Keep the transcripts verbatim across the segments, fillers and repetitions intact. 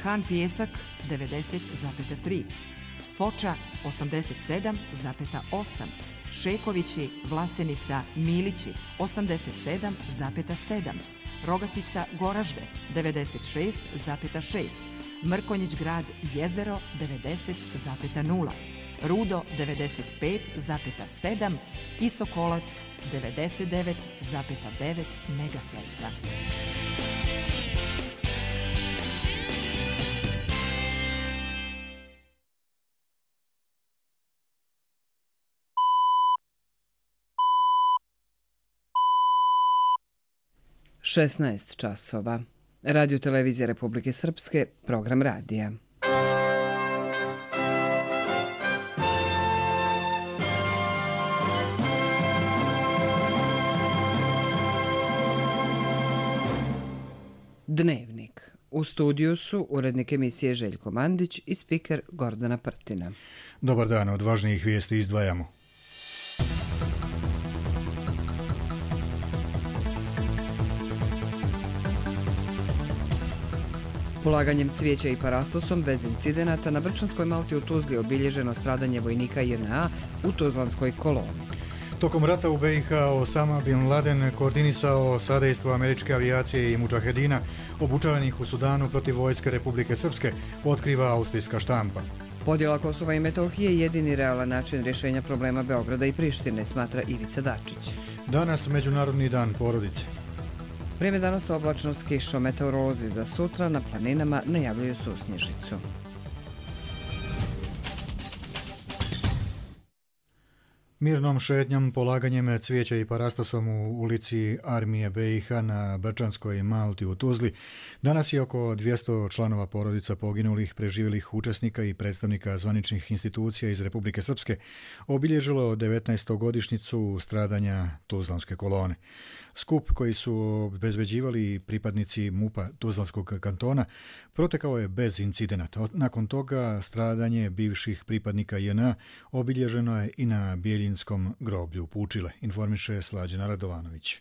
Han pijesak devedeset zarez tri, Foča osamdeset sedam zarez osam, Šekovići, Vlasenica, Milići osamdeset sedam zarez sedam, Rogatica, Goražde devedeset šest zarez šest, Mrkonjić Grad, Jezero devedeset zarez nula, Rudo devedeset pet zarez sedam i Sokolac devedeset devet zarez devet megaherca. šesnaest časova. Radio Televizija Republike Srpske, program radija. Dnevnik. U studiju su urednik emisije Željko Mandić i spiker Gordana Prtina. Dobar dan, od važnijih vijesti izdvajamo. Polaganjem cvijeća i parastosom bez incidenata na Brčanskoj Malti u Tuzli obilježeno stradanje vojnika J N A u Tuzlanskoj koloni. Tokom rata u B i H Osama bin Laden koordinisao sadejstvo američke avijacije i mučahedina obučavanih u Sudanu protiv vojske Republike Srpske, otkriva austrijska štampa. Podjela Kosova i Metohije je jedini realan način rješenja problema Beograda i Prištine, smatra Ivica Dačić. Danas Međunarodni dan porodice. Vrijeme danas oblačno s kišom, meteorolozi za sutra na planinama najavljuju susnježicu. Mirnom šetnjom, polaganjem cvijeća i parastosom u ulici Armije B i H na Brčanskoj Malti u Tuzli, danas je oko dvjesto članova porodica poginulih, preživjelih učesnika i predstavnika zvaničnih institucija iz Republike Srpske obilježilo devetnaestogodišnjicu stradanja Tuzlanske kolone. Skup koji su obezbeđivali pripadnici MUP-a Tuzlanskog kantona protekao je bez incidenata. Nakon toga stradanje bivših pripadnika J N A obilježeno je i na Bijeljinskom groblju Pučile, informiše Slađana Radovanović.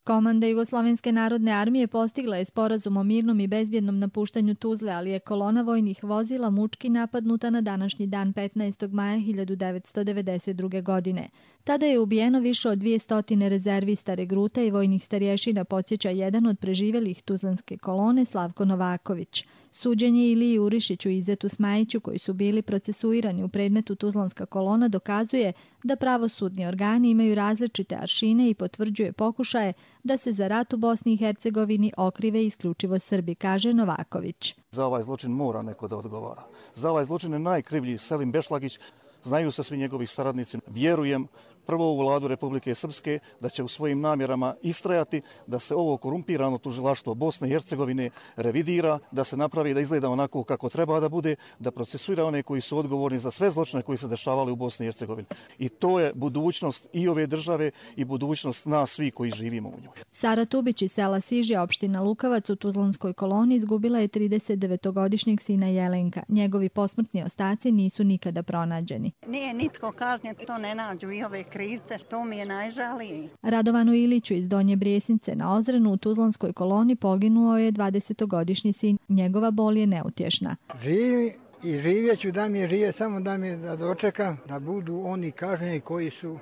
Komanda Jugoslovenske narodne armije postigla je sporazum o mirnom i bezbjednom napuštanju Tuzle, ali je kolona vojnih vozila mučki napadnuta na današnji dan petnaestog maja hiljadu devetsto devedeset druge. godine. Tada je ubijeno više od dvjesto rezervista, regruta i vojnih starješina, podsjeća jedan od preživjelih tuzlanske kolone, Slavko Novaković. Suđenje Iliji Urišiću i Izetu Smajiću, koji su bili procesuirani u predmetu Tuzlanska kolona, dokazuje da pravosudni organi imaju različite aršine i potvrđuje pokušaje da se za rat u Bosni i Hercegovini okrive isključivo Srbi, kaže Novaković. Za ovaj zločin mora neko da odgovara. Za ovaj zločin je najkrivlji Selim Bešlagić, znaju se svi njegovi saradnici. Vjerujem prvo u vladu Republike Srpske da će u svojim namjerama istrajati da se ovo korumpirano tužilaštvo Bosne i Hercegovine revidira, da se napravi da izgleda onako kako treba da bude, da procesuira one koji su odgovorni za sve zločine koji se dešavali u Bosni i Hercegovini. I to je budućnost i ove države i budućnost nas svi koji živimo u njoj. Sara Tubić iz sela Sižja, opština Lukavac u Tuzlanskoj koloni, izgubila je trideset devetogodišnjeg sina Jelenka. Njegovi posmrtni ostaci nisu nikada pronađeni. Nije nitko kažnjen, to ne nađu i ove krivce, to mi je najžalije. Radovanu Iliću iz Donje Brijesnice na Ozrenu u Tuzlanskoj koloni poginuo je dvadesetogodišnji sin. Njegova bol je neutješna. Živi i živjeću da mi je žive, samo da mi da dočekam da budu oni kažnjeni koji su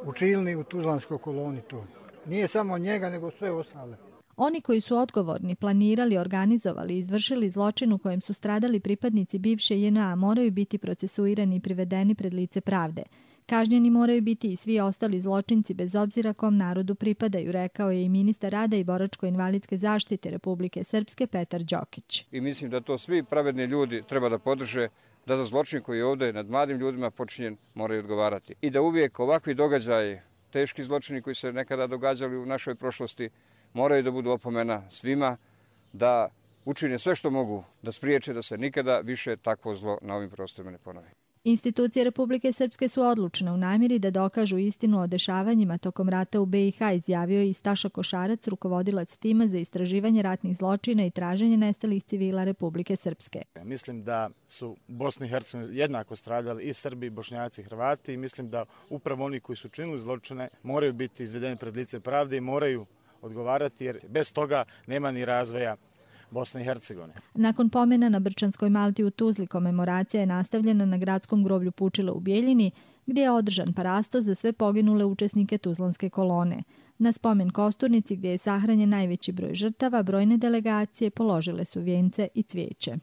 učinili u Tuzlanskoj koloni to. Nije samo njega, nego sve ostale. Oni koji su odgovorni, planirali, organizovali i izvršili zločin u kojem su stradali pripadnici bivše J N A moraju biti procesuirani i privedeni pred lice pravde. Kažnjeni moraju biti i svi ostali zločinci bez obzira kom narodu pripadaju, rekao je i ministar rada i boračko-invalidske zaštite Republike Srpske Petar Đokić. I mislim da to svi pravedni ljudi treba da podrže, da za zločin koji je ovdje nad mladim ljudima počinjen moraju odgovarati. I da uvijek ovakvi događaji, teški zločini koji se nekada događali u našoj prošlosti, moraju da budu opomena svima da učine sve što mogu da spriječe da se nikada više takvo zlo na ovim prostorima ne ponovi. Institucije Republike Srpske su odlučne u namjeri da dokažu istinu o dešavanjima tokom rata u B i H, izjavio je i Staša Košarac, rukovodilac tima za istraživanje ratnih zločina i traženje nestalih civila Republike Srpske. Mislim da su u Bosni i Hercegovini jednako stradali i Srbi, Bošnjaci i Hrvati i mislim da upravo oni koji su činili zločine moraju biti izvedeni pred lice pravde i moraju odgovarati, jer bez toga nema ni razvoja Bosne i Hercegovine. Nakon pomena na Brčanskoj Malti u Tuzli, komemoracija je nastavljena na gradskom groblju Pučila u Bijeljini, gdje je održan parastos za sve poginule učesnike Tuzlanske kolone. Na spomen kosturnici, gdje je sahranjen najveći broj žrtava, brojne delegacije položile su vijence i cvijeće.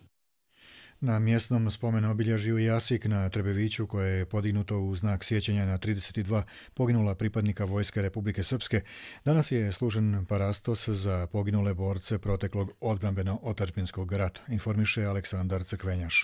Na mjesnom spomen obilježju Jasik na Trebeviću, koje je podignuto u znak sjećanja na trideset dva poginula pripadnika Vojske Republike Srpske, danas je služen parastos za poginule borce proteklog odbrambeno-otadžbinskog rata, informiše Aleksandar Crkvenjaš.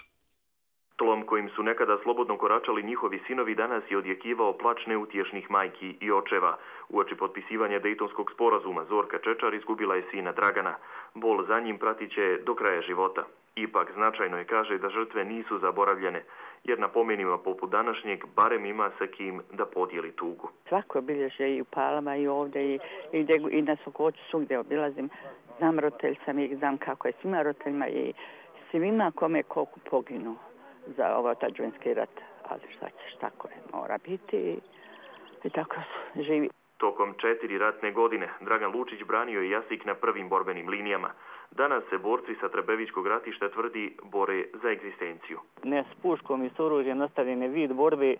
Tlom kojim su nekada slobodno koračali njihovi sinovi danas je odjekivao plač neutješnih majki i očeva. Uoči potpisivanja Dejtonskog sporazuma Zorka Čečar izgubila je sina Dragana. Bol za njim pratit će do kraja života. Ipak značajno je, kaže, da žrtve nisu zaboravljene, jer na pomenima poput današnjeg barem ima sa kim da podijeli tugu. Svako obilježje i u Palama i ovdje i, i, i na Sokoću svugdje obilazim. Znam roditeljca mi znam kako je svima roditeljima i svima kome koliko poginu za ovaj otadžbinski rat, ali šta ćeš, tako je, mora biti i, i tako živi. Tokom četiri ratne godine Dragan Lučić branio je Jasik na prvim borbenim linijama. Danas se borci sa Trebevićkog ratišta, tvrdi, bore za egzistenciju. Ne s puškom i s oružjem nastavljen je vid borbe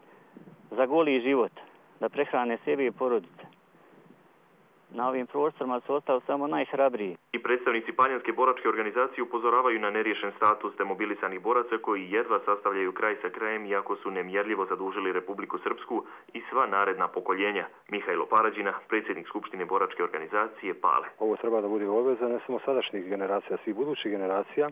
za goli život, da prehrane sebi i porodice. Na ovim prostorima su ostali samo najhrabriji. I predstavnici Panjanske boračke organizacije upozoravaju na neriješen status demobilisanih boraca koji jedva sastavljaju kraj sa krajem, iako su nemjerljivo zadužili Republiku Srpsku i sva naredna pokoljenja. Mihajlo Parađina, predsjednik Skupštine boračke organizacije Pale. Ovo treba da bude obaveza ne samo sadašnjih generacija, svih budućih generacija,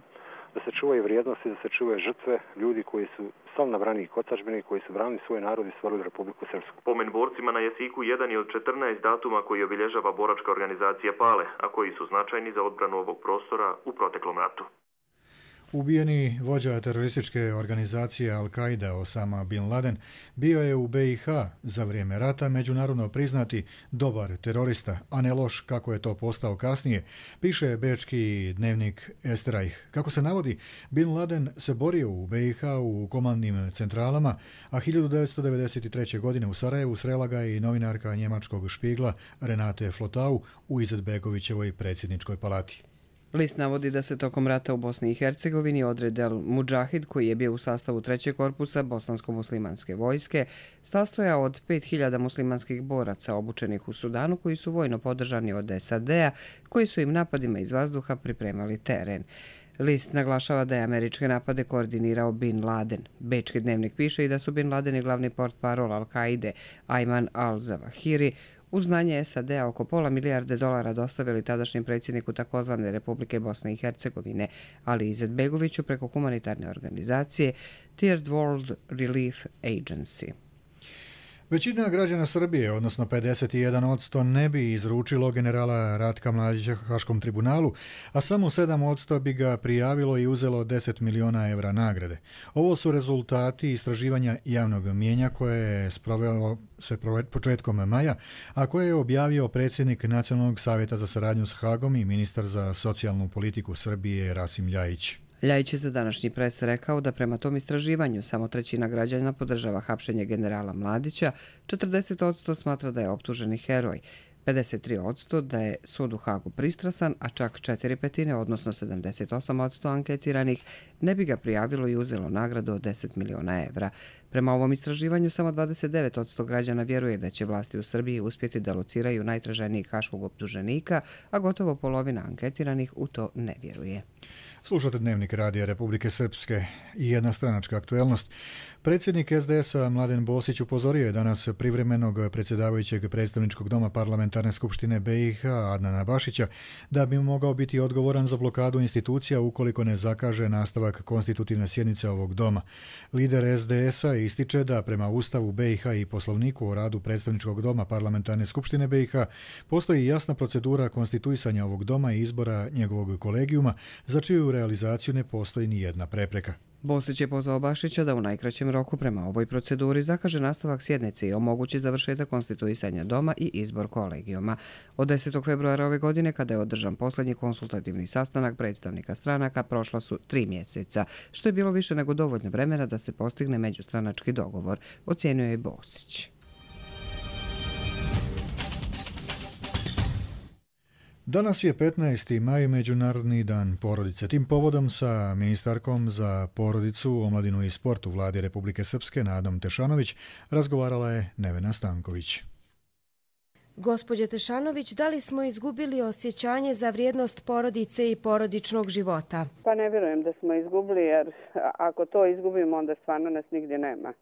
da se čuvaju vrijednosti, da se čuvaju žrtve ljudi koji su sam na brani otadžbine, koji su branili svoj narod i stvorili Republiku Srpsku. Pomen borcima na Jasiku jedan je od četrnaest datuma koji obilježava boračka organizacija Pale, a koji su značajni za odbranu ovog prostora u proteklom ratu. Ubijeni vođa terorističke organizacije Al-Qaida Osama Bin Laden bio je u B i H za vrijeme rata međunarodno priznati dobar terorista, a ne loš kako je to postao kasnije, piše bečki dnevnik Esterajh. Kako se navodi, Bin Laden se borio u B i H u komandnim centralama, a hiljadu devetsto devedeset treće. godine u Sarajevu srela ga i novinarka njemačkog Špigla Renate Flotau u Izetbegovićevoj predsjedničkoj palati. List navodi da se tokom rata u Bosni i Hercegovini odred El Mudžahid, koji je bio u sastavu trećeg korpusa bosansko-muslimanske vojske, sastojao od pet hiljada muslimanskih boraca obučenih u Sudanu, koji su vojno podržani od S A D-a, koji su im napadima iz vazduha pripremali teren. List naglašava da je američke napade koordinirao Bin Laden. Bečki dnevnik piše i da su Bin Laden i glavni portparol Al-Qaide Ayman al-Zawahiri uz znanje S A D-a oko pola milijarde dolara dostavili tadašnjem predsjedniku takozvane Republike Bosne i Hercegovine, ali i Izetbegoviću preko humanitarne organizacije Third World Relief Agency. Većina građana Srbije, odnosno pedeset jedan posto, ne bi izručilo generala Ratka Mladića Haškom tribunalu, a samo sedam posto bi ga prijavilo i uzelo deset miliona evra nagrade. Ovo su rezultati istraživanja javnog mnijenja koje je sprovelo se početkom maja, a koje je objavio predsjednik Nacionalnog savjeta za saradnju s Hagom i ministar za socijalnu politiku Srbije Rasim Ljajić. Ljajić je za današnji pres rekao da prema tom istraživanju samo trećina građana podržava hapšenje generala Mladića, četrdeset posto smatra da je optuženi heroj, pedeset tri posto da je sud u Hagu pristrasan, a čak četiri petine, odnosno sedamdeset osam posto anketiranih, ne bi ga prijavilo i uzelo nagradu od deset miliona evra. Prema ovom istraživanju samo dvadeset devet posto građana vjeruje da će vlasti u Srbiji uspjeti da lociraju najtraženijeg haškog optuženika, a gotovo polovina anketiranih u to ne vjeruje. Slušate Dnevnik Radija Republike Srpske i jedna stranačka aktuelnost. Predsjednik S D S-a Mladen Bosić upozorio je danas privremenog predsjedavajućeg predstavničkog doma Parlamentarne skupštine B i H Adnana Bašića da bi mogao biti odgovoran za blokadu institucija ukoliko ne zakaže nastavak konstitutivne sjednice ovog doma. Lider S D S-a ističe da prema Ustavu B i H i Poslovniku o radu predstavničkog doma Parlamentarne skupštine B i H postoji jasna procedura konstituisanja ovog doma i izbora njegovog kolegijuma, za čiju realizaciju ne postoji ni jedna prepreka. Bosić je pozvao Bašića da u najkraćem roku prema ovoj proceduri zakaže nastavak sjednice i omogući završetak konstituisanja doma i izbor kolegijuma. Od desetog februara ove godine, kada je održan posljednji konsultativni sastanak predstavnika stranaka, prošla su tri mjeseca, što je bilo više nego dovoljno vremena da se postigne međustranački dogovor, ocijenio je Bosić. Danas je petnaesti maj, Međunarodni dan porodice. Tim povodom sa ministarkom za porodicu, omladinu i sport u vladi Republike Srpske Nadom Tešanović razgovarala je Nevena Stanković. Gospođo Tešanović, da li smo izgubili osjećanje za vrijednost porodice i porodičnog života? Pa ne vjerujem da smo izgubili, jer ako to izgubimo, onda stvarno nas nigdje nema.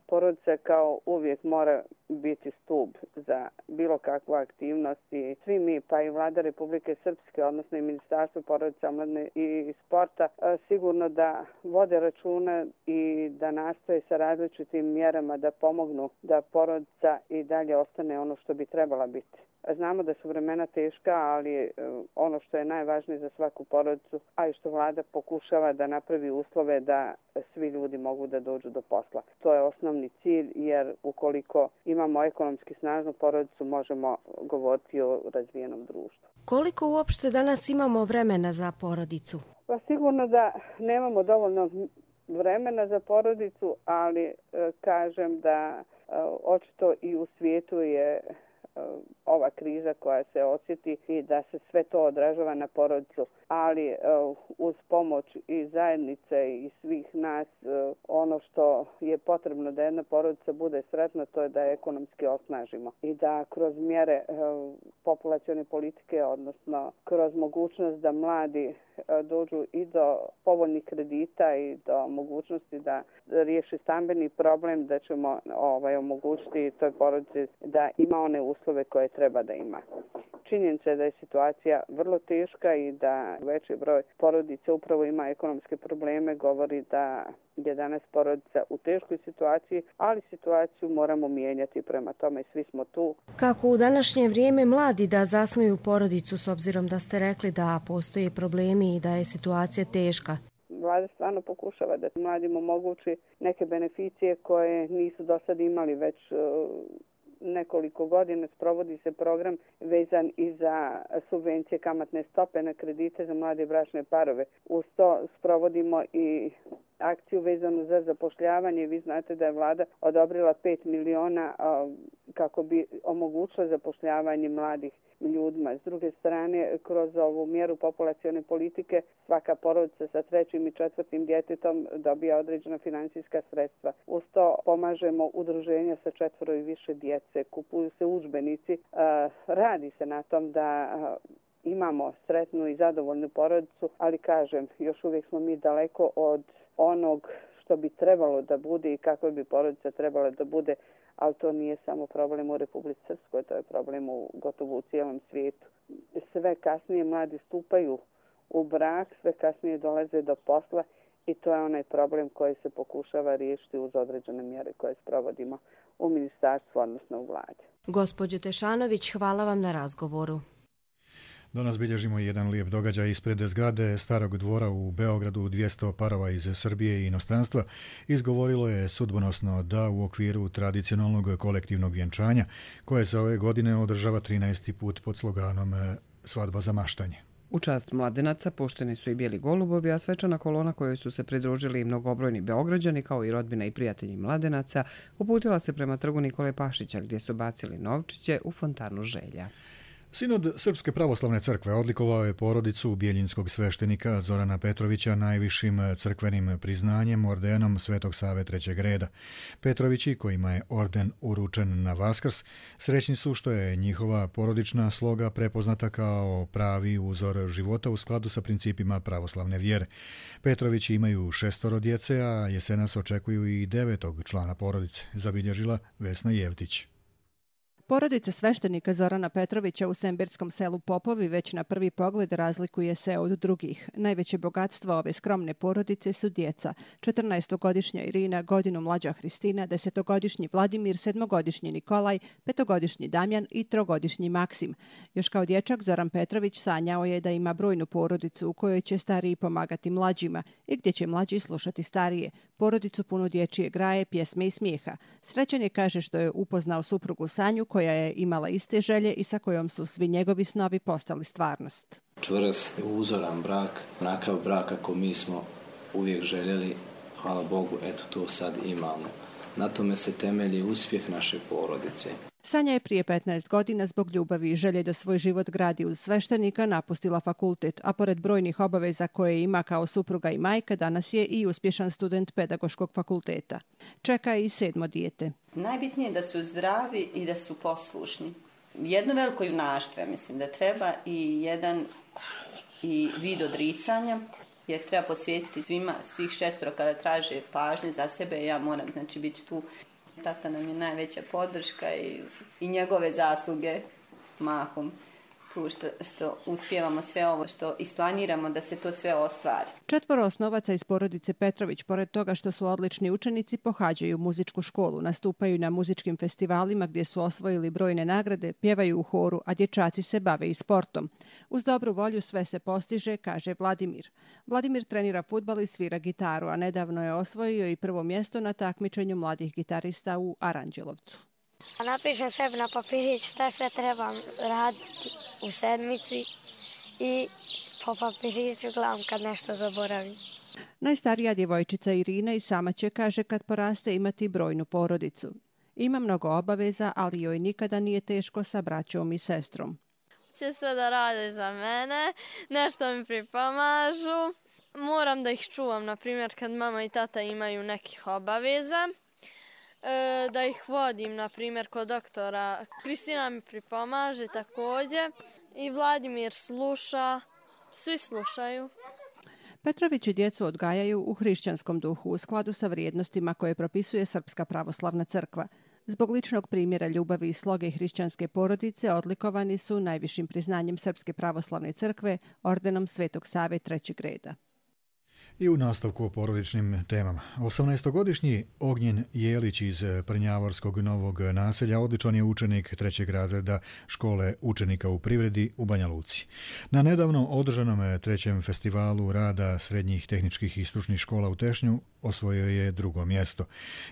Porodica kao uvijek mora biti stup za bilo kakvu aktivnost i svi mi, pa i vlada Republike Srpske, odnosno i Ministarstvo porodice, omladine i sporta, sigurno da vode računa i da nastoje sa različitim mjerama da pomognu da porodica i dalje ostane ono što bi trebala biti. Znamo da su vremena teška, ali ono što je najvažnije za svaku porodicu, a i što vlada pokušava da napravi uslove da svi ljudi mogu da dođu do posla. To je osnovni cilj, jer ukoliko imamo ekonomski snažnu porodicu, možemo govoriti o razvijenom društvu. Koliko uopšte danas imamo vremena za porodicu? Pa sigurno da nemamo dovoljno vremena za porodicu, ali e, kažem da e, očito i u svijetu je ova kriza koja se osjeti i da se sve to odražava na porodicu, ali uz pomoć i zajednice i svih nas, ono što je potrebno da jedna porodica bude sretna, to je da je ekonomski osnažimo i da kroz mjere populacione politike, odnosno kroz mogućnost da mladi dođu i do povoljnih kredita i do mogućnosti da riješi stambeni problem, da ćemo ovaj, omogućiti toj porodici da ima one uslove koje treba da ima. Činjenica je da je situacija vrlo teška i da veći broj porodica upravo ima ekonomske probleme, govori da je danas porodica u teškoj situaciji, ali situaciju moramo mijenjati, prema tome svi smo tu. Kako u današnje vrijeme mladi da zasnuju porodicu, s obzirom da ste rekli da postoje problemi i da je situacija teška? Vlada stvarno pokušava da mladim omogući neke beneficije koje nisu do sad imali, već nekoliko godina sprovodi se program vezan i za subvencije kamatne stope na kredite za mlade bračne parove. Uz to sprovodimo i akciju vezanu za zapošljavanje. Vi znate da je vlada odobrila pet miliona kako bi omogućila zapošljavanje mladih ljudima. S druge strane, kroz ovu mjeru populacione politike, svaka porodica sa trećim i četvrtim djetetom dobija određena financijska sredstva. Uz to pomažemo udruženja sa četvoro i više djece, kupuju se udžbenici, radi se na tom da imamo sretnu i zadovoljnu porodicu, ali kažem, još uvijek smo mi daleko od onog što bi trebalo da bude i kako bi porodica trebala da bude, ali to nije samo problem u Republici Srpskoj, to je problem u gotovo u cijelom svijetu. Sve kasnije mladi stupaju u brak, sve kasnije dolaze do posla i to je onaj problem koji se pokušava riješiti uz određene mjere koje sprovodimo u ministarstvu, odnosno u vladi. Gospođo Tešanović, hvala vam na razgovoru. Danas bilježimo jedan lijep događaj ispred zgrade Starog dvora u Beogradu. dvjesto parova iz Srbije i inostranstva izgovorilo je sudbonosno da u okviru tradicionalnog kolektivnog vjenčanja, koje se ove godine održava trinaesti put pod sloganom Svadba za maštanje. U čast mladenaca pušteni su i bijeli golubovi, a svečana kolona kojoj su se pridružili i mnogobrojni Beograđani, kao i rodbina i prijatelji mladenaca, uputila se prema trgu Nikole Pašića, gdje su bacili novčiće u fontanu želja. Sinod Srpske pravoslavne crkve odlikovao je porodicu bijeljinskog sveštenika Zorana Petrovića najvišim crkvenim priznanjem ordenom Svetog Save trećeg reda. Petrovići, kojima je orden uručen na Vaskrs, srećni su što je njihova porodična sloga prepoznata kao pravi uzor života u skladu sa principima pravoslavne vjere. Petrovići imaju šestoro djece, a jesenas očekuju i devetog člana porodice, zabilježila Vesna Jevtić. Porodica sveštenika Zorana Petrovića u sembirskom selu Popovi već na prvi pogled razlikuje se od drugih. Najveće bogatstvo ove skromne porodice su djeca. četrnaestogodišnja Irina, godinu mlađa Hristina, desetogodišnji Vladimir, sedmogodišnji Nikolaj, petogodišnji Damjan i trogodišnji Maksim. Još kao dječak Zoran Petrović sanjao je da ima brojnu porodicu u kojoj će stariji pomagati mlađima i gdje će mlađi slušati starije. Porodicu punu dječje graje, pjesme i smijeha. Srećan je, kaže, što je upoznao suprugu Sanju, koja je imala iste želje i sa kojom su svi njegovi snovi postali stvarnost. Čvrst, uzoran brak, onakav brak kako mi smo uvijek željeli, hvala Bogu, eto to sad imamo. Na tome se temelji uspjeh naše porodice. Sanja je prije petnaest godina zbog ljubavi i želje da svoj život gradi uz sveštenika napustila fakultet, a pored brojnih obaveza koje ima kao supruga i majka, danas je i uspješan student pedagoškog fakulteta. Čeka i sedmo dijete. Najbitnije je da su zdravi i da su poslušni. Jedno veliko junaštvo, mislim da treba, i jedan i vid odricanja, jer treba posvijetiti svima, svih šestoro kada traže pažnju za sebe, ja moram znači biti tu. Tata nam je najveća podrška i, i njegove zasluge mahom tu što, što uspijevamo sve ovo što isplaniramo da se to sve ostvari. Četvoro osnovaca iz porodice Petrović, pored toga što su odlični učenici, pohađaju muzičku školu, nastupaju na muzičkim festivalima gdje su osvojili brojne nagrade, pjevaju u horu, a dječaci se bave i sportom. Uz dobru volju sve se postiže, kaže Vladimir. Vladimir trenira fudbal i svira gitaru, a nedavno je osvojio i prvo mjesto na takmičenju mladih gitarista u Aranđelovcu. Napišem sebi na papirić šta sve trebam raditi u sedmici i po papiriću gledam kad nešto zaboravim. Najstarija djevojčica Irina i sama će, kaže, kad poraste imati brojnu porodicu. Ima mnogo obaveza, ali joj nikada nije teško sa braćom i sestrom. Će sve da rade za mene, nešto mi pripomažu. Moram da ih čuvam, na primjer kad mama i tata imaju nekih obaveza. Da ih vodim, na primjer, kod doktora. Kristina mi pripomaže također i Vladimir sluša, svi slušaju. Petrovići djecu odgajaju u hrišćanskom duhu u skladu sa vrijednostima koje propisuje Srpska pravoslavna crkva. Zbog ličnog primjera ljubavi i sloge hrišćanske porodice odlikovani su najvišim priznanjem Srpske pravoslavne crkve, ordenom Svetog Save trećeg reda. I u nastavku o porodičnim temama. osamnaestogodišnji Ognjen Jelić iz Prnjavorskog Novog naselja odličan je učenik trećeg razreda škole učenika u privredi u Banja Luci. Na nedavno održanom trećem festivalu rada srednjih tehničkih i stručnih škola u Tešnju osvojio je drugo mjesto.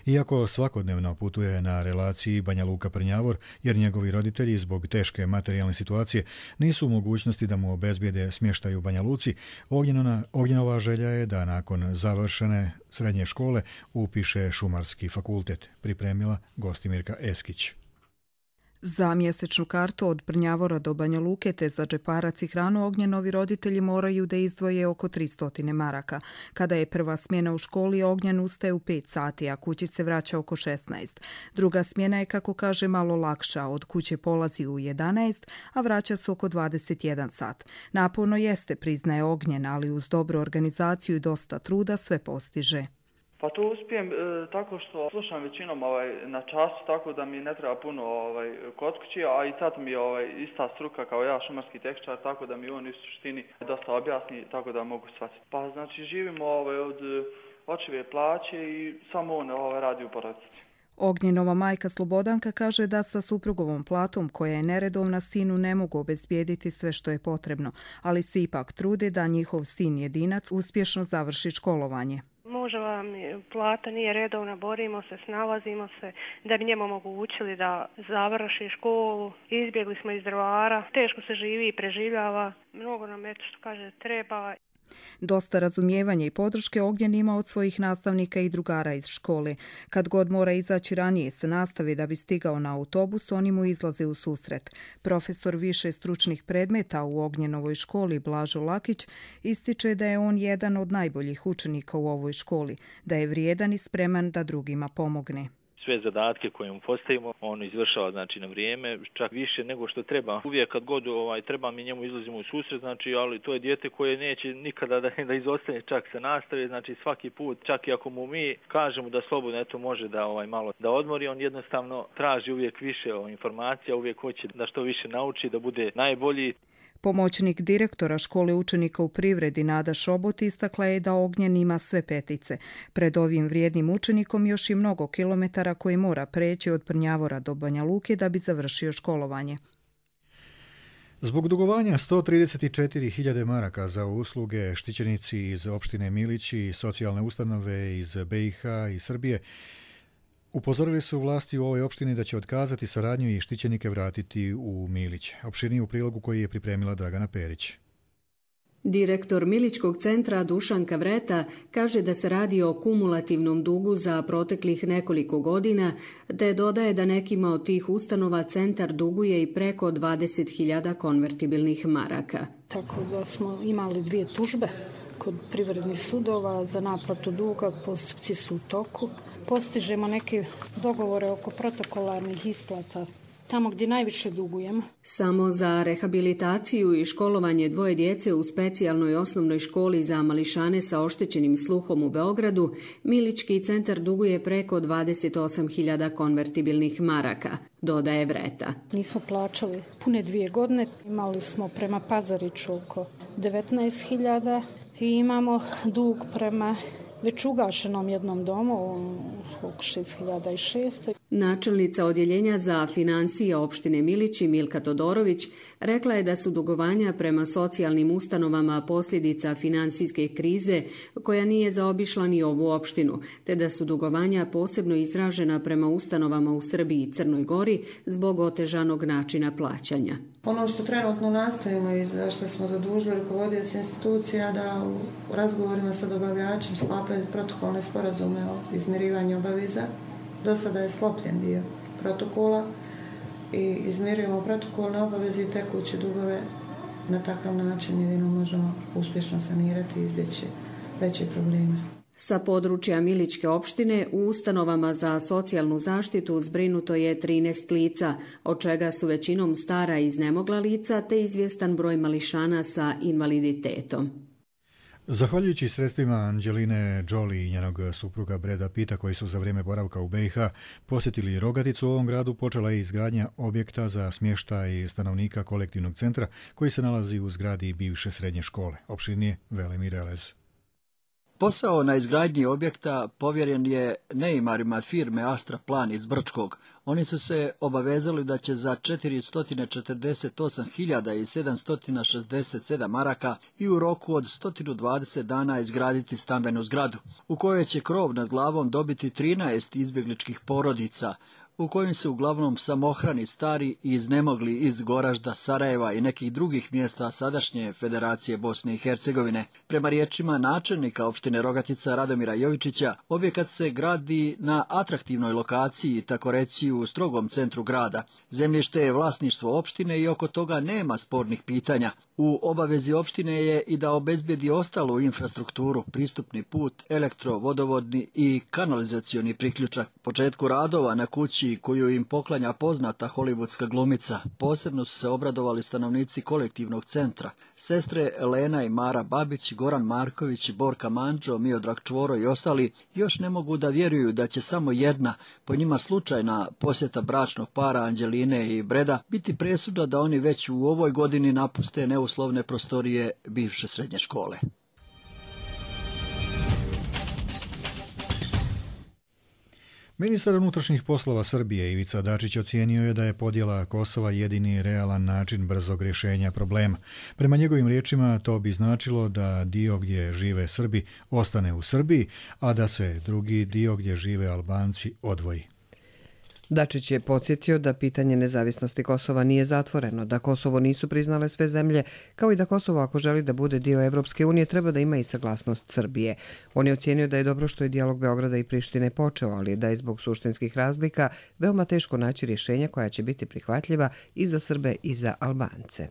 Iako svakodnevno putuje na relaciji Banja Luka-Prnjavor, jer njegovi roditelji zbog teške materijalne situacije nisu u mogućnosti da mu obezbijede smještaj u Banja Luci, Ognjenova, Ognjenova želja je da nakon završene srednje škole upiše šumarski fakultet, pripremila Gostimirka Eskić. Za mjesečnu kartu od Prnjavora do Banja Luke te za džeparac i hranu Ognjenovi roditelji moraju da izdvoje oko tristo maraka. Kada je prva smjena u školi, Ognjen ustaje u pet sati, a kući se vraća oko šesnaest. Druga smjena je, kako kaže, malo lakša. Od kuće polazi u jedanaest, a vraća se oko dvadeset jedan sat. Naporno jeste, priznaje Ognjen, ali uz dobru organizaciju i dosta truda sve postiže. Pa to uspijem e, tako što slušam većinom ovaj, na času, tako da mi ne treba puno ovaj, kod kući, a i tad mi je ovaj, ista struka kao ja, šumarski tehničar, tako da mi on u suštini dosta objasni, tako da mogu shvatiti. Pa znači živimo ovaj, od očeve plaće i samo on ovaj, radi u porodici. Ognjenova majka Slobodanka kaže da sa suprugovom platom, koja je neredovna, sinu ne mogu obezbijediti sve što je potrebno, ali se ipak trude da njihov sin jedinac uspješno završi školovanje. Muževa plata nije redovna, borimo se, snalazimo se da bi njemu omogućili da završi školu. Izbjegli smo iz Drvara, teško se živi i preživljava, mnogo nam eto što kaže treba. Dosta razumijevanja i podrške Ognjen ima od svojih nastavnika i drugara iz škole. Kad god mora izaći ranije sa nastave da bi stigao na autobus, oni mu izlaze u susret. Profesor više stručnih predmeta u Ognjenovoj školi, Blažo Lakić, ističe da je on jedan od najboljih učenika u ovoj školi, da je vrijedan i spreman da drugima pomogne. Sve zadatke koje mu postavimo, on izvršava znači na vrijeme, čak više nego što treba. Uvijek kad god ovaj, treba mi njemu izlazimo u susret, znači, ali to je dijete koje neće nikada da, da izostane čak sa nastave, znači svaki put, čak i ako mu mi kažemo da slobodno eto može da ovaj malo da odmori, on jednostavno traži uvijek više ovaj, informacija, uvijek hoće da što više nauči, da bude najbolji. Pomoćnik direktora škole učenika u privredi Nada Šobot istakla je da Ognjen ima sve petice. Pred ovim vrijednim učenikom još i mnogo kilometara koji mora preći od Prnjavora do Banja Luke da bi završio školovanje. Zbog dugovanja sto trideset četiri hiljade maraka za usluge štićenici iz opštine Milić i socijalne ustanove iz B i H i Srbije upozorili su vlasti u ovoj opštini da će otkazati saradnju i štićenike vratiti u Milić. Opširniji u prilogu koji je pripremila Dragana Perić. Direktor Milićkog centra Dušan Kavreta kaže da se radi o kumulativnom dugu za proteklih nekoliko godina, te dodaje da nekima od tih ustanova centar duguje i preko dvadeset hiljada konvertibilnih maraka. Tako da smo imali dvije tužbe kod privrednih sudova za naplatu duga, postupci su u toku. Postižemo neke dogovore oko protokolarnih isplata tamo gdje najviše dugujemo. Samo za rehabilitaciju i školovanje dvoje djece u specijalnoj osnovnoj školi za mališane sa oštećenim sluhom u Beogradu, Milićki centar duguje preko dvadeset osam hiljada konvertibilnih maraka, dodaje Vreta. Nismo plaćali pune dvije godine, imali smo prema Pazariću oko devetnaest hiljada i imamo dug prema već ugašenom jednom domu oko šest hiljada šesto. Načelnica odjeljenja za financije opštine Milići Milka Todorović rekla je da su dugovanja prema socijalnim ustanovama posljedica finansijske krize koja nije zaobišla ni ovu opštinu, te da su dugovanja posebno izražena prema ustanovama u Srbiji i Crnoj Gori zbog otežanog načina plaćanja. Ono što trenutno nastavimo i za što smo zadužili rukovodioci institucija da u razgovorima sa dobavljačem sklapaju protokolne sporazume o izmirivanju obaveza. Do sada je sklopljen dio protokola i izmirujemo protokolne obaveze i tekuće dugove. Na takav način jedino možemo uspješno sanirati i izbjeći veće probleme. Sa područja Milićke opštine u ustanovama za socijalnu zaštitu zbrinuto je trinaest lica, od čega su većinom stara i iznemogla lica te izvjestan broj mališana sa invaliditetom. Zahvaljujući sredstvima Anđeline Jolie i njenog supruga Breda Pitta koji su za vrijeme boravka u B i H posjetili Rogaticu u ovom gradu, počela je izgradnja objekta za smještaj stanovnika kolektivnog centra koji se nalazi u zgradi bivše srednje škole. Opširnije Velimir Elez. Posao na izgradnji objekta povjeren je neimarima firme Astra Plan iz Brčkog. Oni su se obavezali da će za četiristo četrdeset osam hiljada sedamsto šezdeset sedam maraka i u roku od sto dvadeset dana izgraditi stambenu zgradu, u kojoj će krov nad glavom dobiti trinaest izbjegličkih porodica, u kojim su uglavnom samohrani stari i iznemogli iz Goražda, Sarajeva i nekih drugih mjesta sadašnje Federacije Bosne i Hercegovine. Prema riječima načelnika opštine Rogatica Radomira Jovičića, objekat se gradi na atraktivnoj lokaciji, tako reći u strogom centru grada. Zemljište je vlasništvo opštine i oko toga nema spornih pitanja. U obavezi opštine je i da obezbedi ostalu infrastrukturu, pristupni put, elektro, vodovodni i kanalizacioni priključak. Početku radova na kući koju im poklanja poznata hollywoodska glumica posebno su se obradovali stanovnici kolektivnog centra. Sestre Lena i Mara Babić, Goran Marković, Borka Manđo, Miodrag Čvoro i ostali još ne mogu da vjeruju da će samo jedna, po njima slučajna posjeta bračnog para Anđeline i Breda biti presudna da oni već u ovoj godini napuste neuslovne prostorije bivše srednje škole. Ministar unutrašnjih poslova Srbije Ivica Dačić ocijenio je da je podjela Kosova jedini realan način brzog rješenja problema. Prema njegovim riječima to bi značilo da dio gdje žive Srbi ostane u Srbiji, a da se drugi dio gdje žive Albanci odvoji. Dačić je podsjetio da pitanje nezavisnosti Kosova nije zatvoreno, da Kosovo nisu priznale sve zemlje, kao i da Kosovo ako želi da bude dio Evropske unije treba da ima i saglasnost Srbije. On je ocijenio da je dobro što je dijalog Beograda i Prištine počeo, ali da je zbog suštinskih razlika veoma teško naći rješenja koja će biti prihvatljiva i za Srbe i za Albance.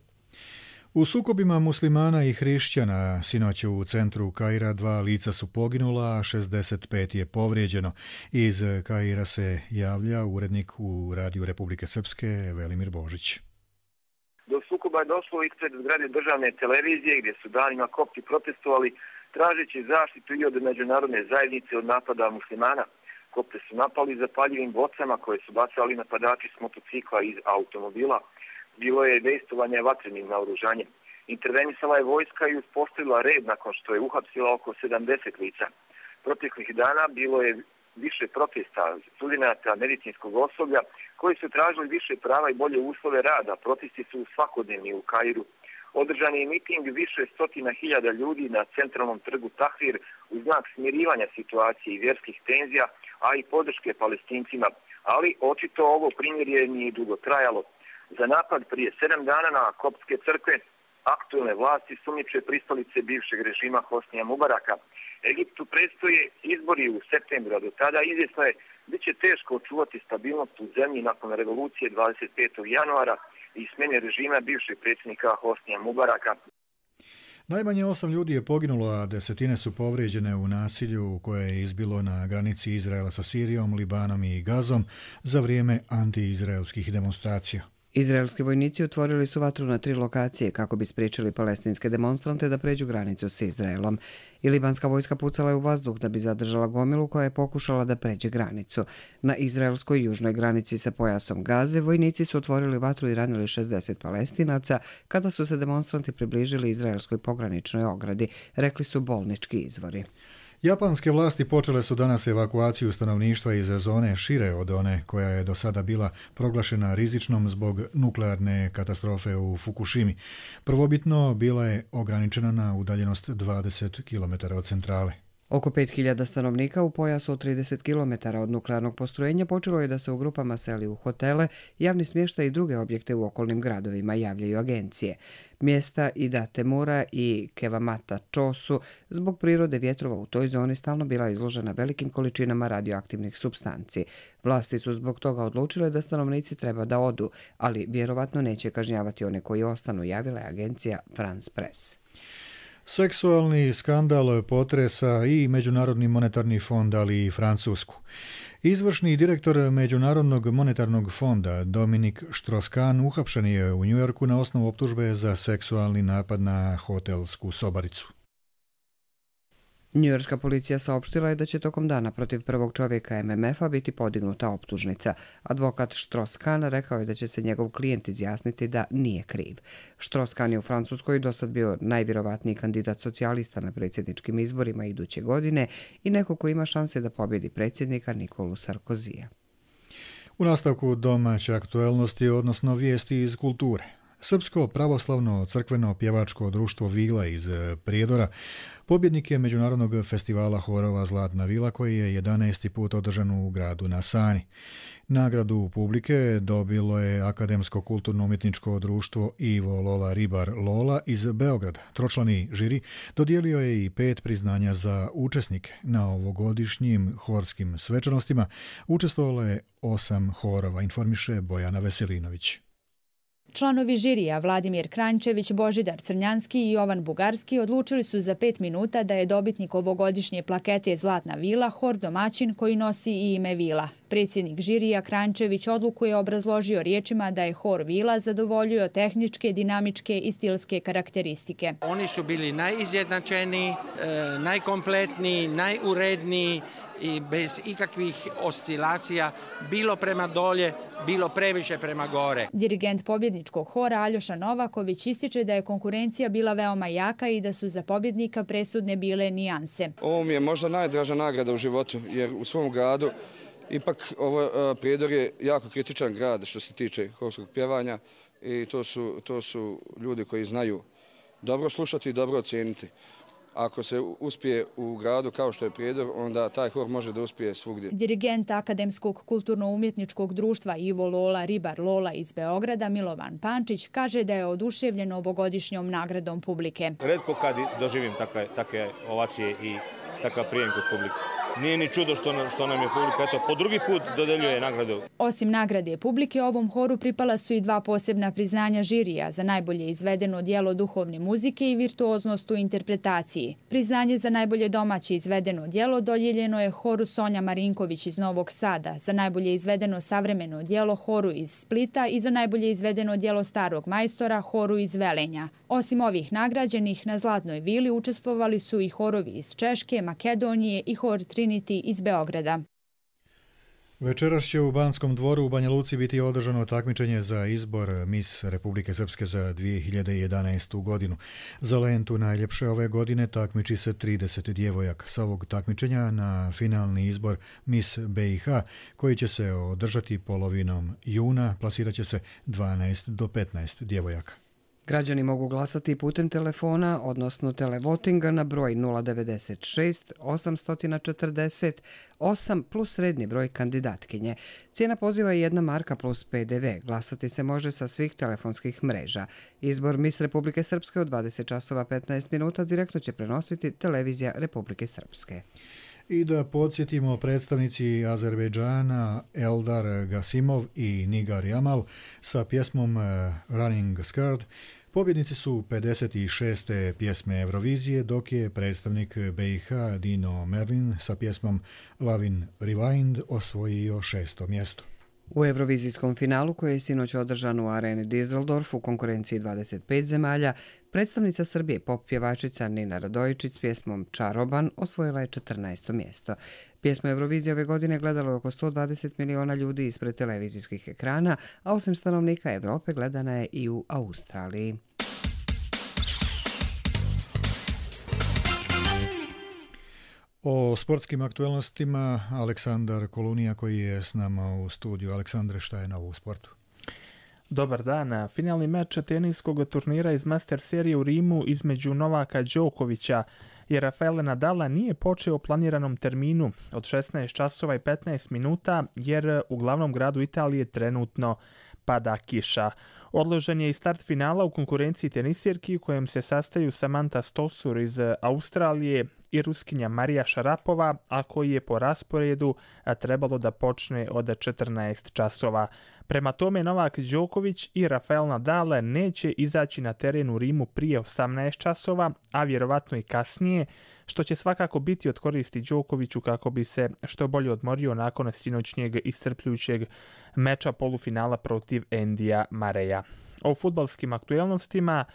U sukobima muslimana i hrišćana sinoć u centru Kaira dva lica su poginula, a šezdeset pet je povrijeđeno. Iz Kaira se javlja urednik u Radiju Republike Srpske Velimir Božić. Do sukoba je došlo ispred zgrade državne televizije gdje su danima kopti protestovali tražeći zaštitu i od međunarodne zajednice od napada muslimana. Kopte su napali zapaljivim bocama koje su bacali napadači s motocikla iz automobila. Bilo je dejstovanje vatrenim naoružanjem. Intervenisala je vojska i uspostavila red nakon što je uhapsila oko sedamdeset lica. Proteklih dana bilo je više protesta studenata medicinskog osoblja koji su tražili više prava i bolje uslove rada. Protesti su svakodnevni u Kairu. Održan je miting više stotina hiljada ljudi na centralnom trgu Tahrir u znak smirivanja situacije i vjerskih tenzija, a i podrške Palestincima. Ali očito ovo primirje nije dugo trajalo. Za napad prije sedam dana na koptske crkve aktualne vlasti sumnjiče pristalice bivšeg režima Hosnija Mubaraka. Egiptu predstoje izbori u septembru, a do tada izvjesno je bit će teško očuvati stabilnost u zemlji nakon revolucije dvadeset petog januara i smjene režima bivšeg predsjednika Hosnija Mubaraka. Najmanje osam ljudi je poginulo, a desetine su povrijeđene u nasilju koje je izbilo na granici Izraela sa Sirijom, Libanom i Gazom za vrijeme anti-izraelskih demonstracija. Izraelski vojnici otvorili su vatru na tri lokacije kako bi spriječili palestinske demonstrante da pređu granicu s Izraelom. I libanska vojska pucala je u vazduh da bi zadržala gomilu koja je pokušala da pređe granicu. Na izraelskoj južnoj granici sa pojasom Gaze vojnici su otvorili vatru i ranili šezdeset Palestinaca kada su se demonstranti približili izraelskoj pograničnoj ogradi, rekli su bolnički izvori. Japanske vlasti počele su danas evakuaciju stanovništva iz zone šire od one koja je do sada bila proglašena rizičnom zbog nuklearne katastrofe u Fukushimi. Prvobitno bila je ograničena na udaljenost dvadeset kilometara od centrale. Oko pet hiljada stanovnika u pojasu od trideset kilometara od nuklearnog postrojenja počelo je da se u grupama seli u hotele, javni smještaj i druge objekte u okolnim gradovima, javljaju agencije. Mjesta Ida Temura i Kevamata Cho su zbog prirode vjetrova u toj zoni stalno bila izložena velikim količinama radioaktivnih supstanci. Vlasti su zbog toga odlučile da stanovnici treba da odu, ali vjerovatno neće kažnjavati one koji ostanu, javila je agencija France Press. Seksualni skandal potresa i Međunarodni monetarni fond, ali i Francusku. Izvršni direktor Međunarodnog monetarnog fonda Dominik Strauss-Kahn uhapšen je u Njujorku na osnovu optužbe za seksualni napad na hotelsku sobaricu. Njujorška policija saopštila je da će tokom dana protiv prvog čovjeka M M F-a biti podignuta optužnica. Advokat Strauss-Kahn rekao je da će se njegov klijent izjasniti da nije kriv. Strauss-Kahn je u Francuskoj dosad bio najvjerovatniji kandidat socijalista na predsjedničkim izborima iduće godine i neko ko ima šanse da pobjedi predsjednika Nikolu Sarkozija. U nastavku domaće aktuelnosti, odnosno vijesti iz kulture. Srpsko pravoslavno crkveno pjevačko društvo Vila iz Prijedora pobjednik je Međunarodnog festivala horova Zlatna vila koji je jedanaesti put održan u gradu na Sani. Nagradu publike dobilo je Akademsko kulturno-umjetničko društvo Ivo Lola Ribar Lola iz Beograda. Tročlani žiri dodijelio je i pet priznanja za učesnike. Na ovogodišnjim horskim svečanostima učestvovalo je osam horova, informiše Bojana Veselinović. Članovi žirija Vladimir Kranjčević, Božidar Crnjanski i Jovan Bugarski odlučili su za pet minuta da je dobitnik ovogodišnje plakete Zlatna vila hor domaćin koji nosi i ime Vila. Predsjednik žirija Kranjčević odluku je obrazložio riječima da je hor Vila zadovoljio tehničke, dinamičke i stilske karakteristike. Oni su bili najizjednačeniji, najkompletniji, najuredniji i bez ikakvih oscilacija, bilo prema dolje, bilo previše prema gore. Dirigent pobjedničkog hora Aljoša Novaković ističe da je konkurencija bila veoma jaka i da su za pobjednika presudne bile nijanse. Ovo mi je možda najdraža nagrada u životu, jer u svom gradu ipak ovo Prijedor je jako kritičan grad što se tiče horskog pjevanja i to su, to su ljudi koji znaju dobro slušati i dobro ocijeniti. Ako se uspije u gradu kao što je Prijedor, onda taj hor može da uspije svugdje. Dirigent Akademskog kulturno-umjetničkog društva Ivo Lola Ribar Lola iz Beograda Milovan Pančić kaže da je oduševljen ovogodišnjom nagradom publike. Retko kad doživim takve, takve ovacije i takav prijem kod publike. Nije ni čudo što nam, što nam je publika eto, po drugi put dodeljuje nagradu. Osim nagrade publike, ovom horu pripala su i dva posebna priznanja žirija za najbolje izvedeno djelo duhovne muzike i virtuoznost u interpretaciji. Priznanje za najbolje domaće izvedeno djelo dodijeljeno je horu Sonja Marinković iz Novog Sada, za najbolje izvedeno savremeno djelo horu iz Splita i za najbolje izvedeno djelo starog majstora horu iz Velenja. Osim ovih nagrađenih, na Zlatnoj vili učestvovali su i horovi iz Češke, Makedonije i hor Trinity iz Beograda. Večeras će u Banskom dvoru u Banja Luci biti održano takmičenje za izbor Mis Republike Srpske za dvije hiljade jedanaestu godinu. Za lentu najljepše ove godine takmiči se trideset djevojaka. Sa ovog takmičenja na finalni izbor Mis B i H, koji će se održati polovinom juna, plasirat će se dvanaest do petnaest djevojaka. Građani mogu glasati putem telefona, odnosno televotinga na broj nula devet šest osam četrdeset osam plus srednji broj kandidatkinje. Cijena poziva je jedna marka plus P D V. Glasati se može sa svih telefonskih mreža. Izbor Mis Republike Srpske od dvadeset časova petnaest minuta direktno će prenositi televizija Republike Srpske. I da podsjetimo, predstavnici Azerbejdžana Eldar Gasimov i Nigar Jamal sa pjesmom Running Skirt pobjednici su pedeset šeste pjesme Eurovizije, dok je predstavnik B i H Dino Merlin sa pjesmom Lavin Rewind osvojio šesto mjesto. U Eurovizijskom finalu, koji je sinoć održan u areni Düsseldorf u konkurenciji dvadeset pet zemalja, predstavnica Srbije pop pjevačica Nina Radojičić s pjesmom Čaroban osvojila je četrnaesto mjesto. Pjesmu Eurovizije ove godine gledalo je oko sto dvadeset miliona ljudi ispred televizijskih ekrana, a osim stanovnika Evrope gledana je i u Australiji. O sportskim aktualnostima Aleksandar Kolunija koji je s nama u studiju. Aleksandre, šta je novo u sportu? Dobar dan. Finalni meč teniskog turnira iz Master serije u Rimu između Novaka Đokovića i Rafaela Nadala nije počeo u planiranom terminu od šesnaest časova i petnaest minuta, jer u glavnom gradu Italije trenutno pada kiša. Odložen je i start finala u konkurenciji tenisirki u kojem se sastaju Samantha Stosur iz Australije i Ruskinja Marija Šarapova, a koji je po rasporedu trebalo da počne od četrnaest časova. Prema tome, Novak Đoković i Rafael Nadal neće izaći na teren u Rimu prije osamnaest časova, a vjerovatno i kasnije, što će svakako biti od koristi Đokoviću kako bi se što bolje odmorio nakon sinoćnjeg iscrpljujućeg meča polufinala protiv Endija Mareja. O fudbalskim aktualnostima,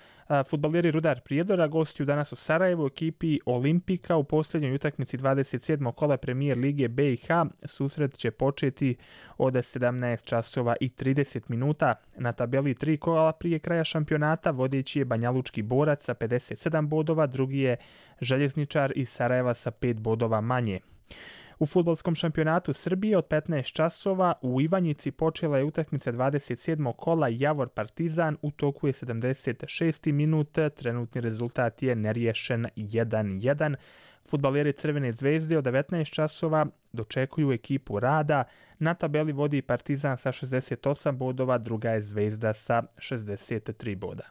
fudbaleri Rudar Prijedora gostuju danas u Sarajevu ekipi Olimpika u posljednjoj utakmici dvadeset sedmog kola Premijer Lige B i H. Susret će početi od sedamnaest časova i trideset minuta. Na tabeli tri kola prije kraja šampionata vodeći je Banjalučki Borac sa pedeset sedam bodova, drugi je Željezničar iz Sarajeva sa pet bodova manje. U fudbalskom šampionatu Srbije od petnaest časova u Ivanjici počela je utakmica dvadeset sedmog kola Javor Partizan, u toku je sedamdeset šesti minut, trenutni rezultat je neriješen jedan jedan. Fudbaleri Crvene zvezde od devetnaest časova dočekuju ekipu Rada, na tabeli vodi Partizan sa šezdeset osam bodova, druga je Zvezda sa šezdeset tri boda.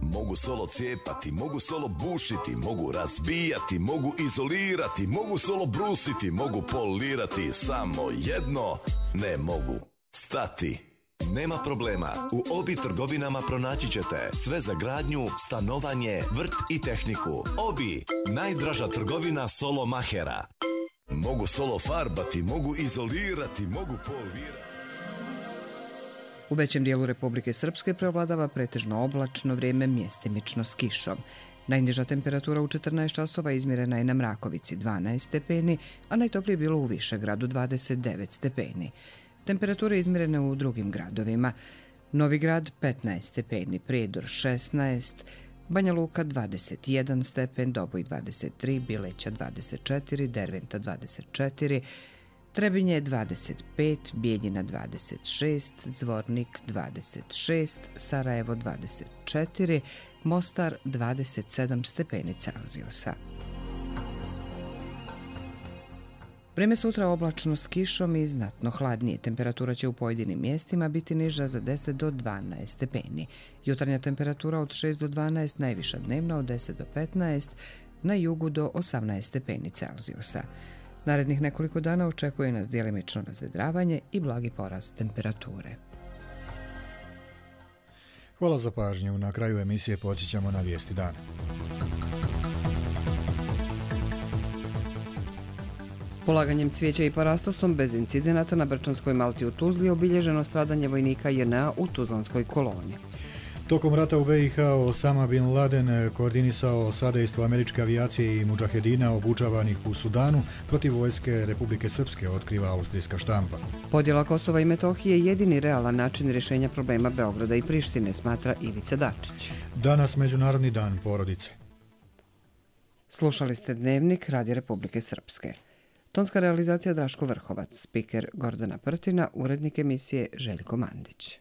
Mogu solo cijepati, mogu solo bušiti, mogu razbijati, mogu izolirati, mogu solo brusiti, mogu polirati, samo jedno ne mogu stati. Nema problema, u Obi trgovinama pronaći ćete sve za gradnju, stanovanje, vrt i tehniku. Obi, najdraža trgovina solo mahera. Mogu solo farbati, mogu izolirati, mogu polirati. U većem dijelu Republike Srpske preovladava pretežno oblačno vrijeme, mjestimično s kišom. Najniža temperatura u četrnaest časova izmjerena je na Mrakovici dvanaest stepeni, a najtoplije je bilo u Višegradu dvadeset devet stepeni. Temperature izmjerene u drugim gradovima: Novi Grad petnaest stepeni, Prijedor šesnaest, Banja Luka dvadeset jedan stepen, Doboj dvadeset tri, Bileća dvadeset četiri, Derventa dvadeset četiri, Trebinje dvadeset pet, Bijeljina dvadeset šest, Zvornik dvadeset šest, Sarajevo dvadeset četiri, Mostar dvadeset sedam stepeni Celzijusa. Vreme sutra oblačno s kišom i znatno hladnije. Temperatura će u pojedinim mjestima biti niža za deset do dvanaest stepeni. Jutarnja temperatura od šest do dvanaest, najviša dnevna od deset do petnaest, na jugu do osamnaest stepeni Celzijusa. Narednih nekoliko dana očekuje nas djelimično razvedravanje i blagi porast temperature. Hvala za pažnju. Na kraju emisije podsjećamo na vijesti dana. Polaganjem cvijeća i parastosom bez incidenata na Brčanskoj Malti u Tuzli obilježeno stradanje vojnika J N A u Tuzlanskoj koloni. Tokom rata u B i H Osama bin Laden koordinisao sadejstvo američke avijacije i mudžahedina obučavanih u Sudanu protiv vojske Republike Srpske, otkriva austrijska štampa. Podjela Kosova i Metohije je jedini realan način rješenja problema Beograda i Prištine, smatra Ivica Dačić. Danas Međunarodni dan porodice. Slušali ste Dnevnik Radija Republike Srpske. Tonska realizacija Draško Vrhovac, spiker Gordana Prtina, urednik emisije Željko Mandić.